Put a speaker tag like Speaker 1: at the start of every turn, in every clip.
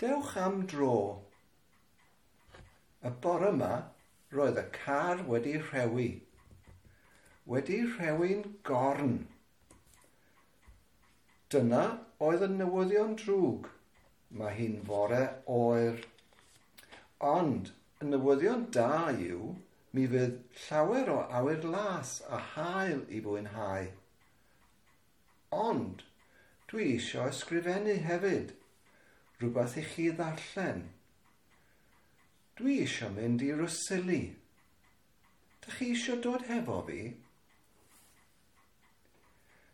Speaker 1: Dewch am dro. Y bore yma, roedd y car wedi rhewi. Wedi rhewi'n gorn. Dyna oedd y newyddion drwg. Mae hi'n fore oer. Ond y newyddion da yw mi fydd llawer o awyr las a haul i fwynhau. Ond dwi isio ysgrifennu hefyd, rhywbeth i chi ddarllen. Dwi isio mynd i Rhosili. Dych chi isio dod hefo fi?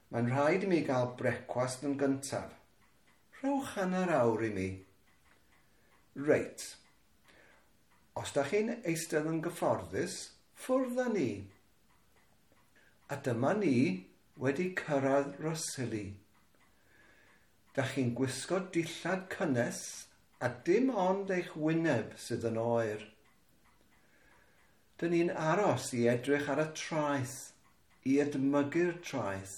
Speaker 1: Mae'n rhaid i mi gael brecwast yn gyntaf. Rhowch hanner awr i mi. Reit. Os da chi'n eistedd yn gyfforddus, ffwrdd â ni. A dyma ni wedi cyrraedd Rhosili. Da chi'n gwisgo dillad cynnes a dim ond eich wyneb sydd yn oer. Dyn ni'n aros i edrych ar y traeth, i edmygu'r traeth.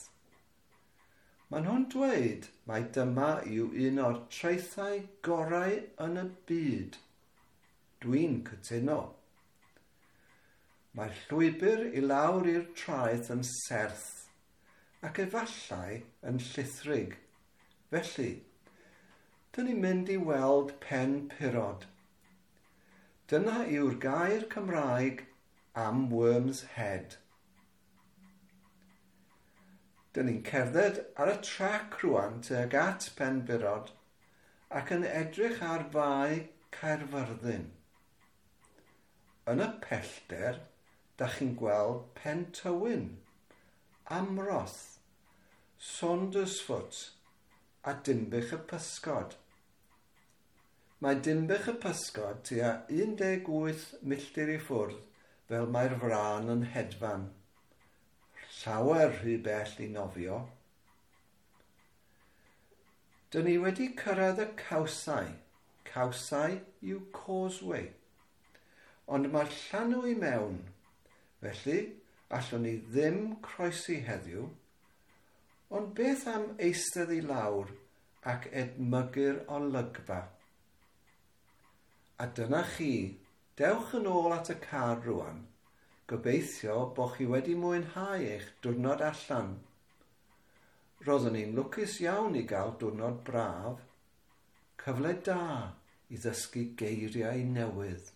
Speaker 1: Maen nhw'n dweud mai dyma yw un o'r traethau gorau yn y byd. Dwi'n cytuno. Mae'r llwybr i lawr i'r traeth yn serth ac efallai yn llithrig. Felly, dyn ni'n mynd i weld Pen Pyrod. Dyna yw'r gair Cymraeg am Worm's Head. Dyn ni'n cerdded ar y trac rwan tuag at Pen Pyrod ac yn edrych ar Fae Caerfyrddin. Yn y pellter, da chi'n gweld Pen Tywyn, Amroth, Saundersfoot a Dinbych y Pysgod. Mae Dinbych y Pysgod tua 18 milltir i ffwrdd fel mae'r frân yn hedfan. Llawer rhy bell i nofio. Dyn ni wedi cyrraedd y cawsau. Cawsau yw causeway. Ond mae'r llanw i mewn. Felly, allwn ni ddim croesi heddiw. Ond beth am eistedd i lawr ac edmygu'r olygfa? A dyna chi, dewch yn ôl at y car rwan. Gobeithio bod chi wedi mwynhau eich diwrnod allan. Roeddwn i'n lwcus iawn i gael diwrnod braf. Cyfle da i ddysgu geiriau newydd.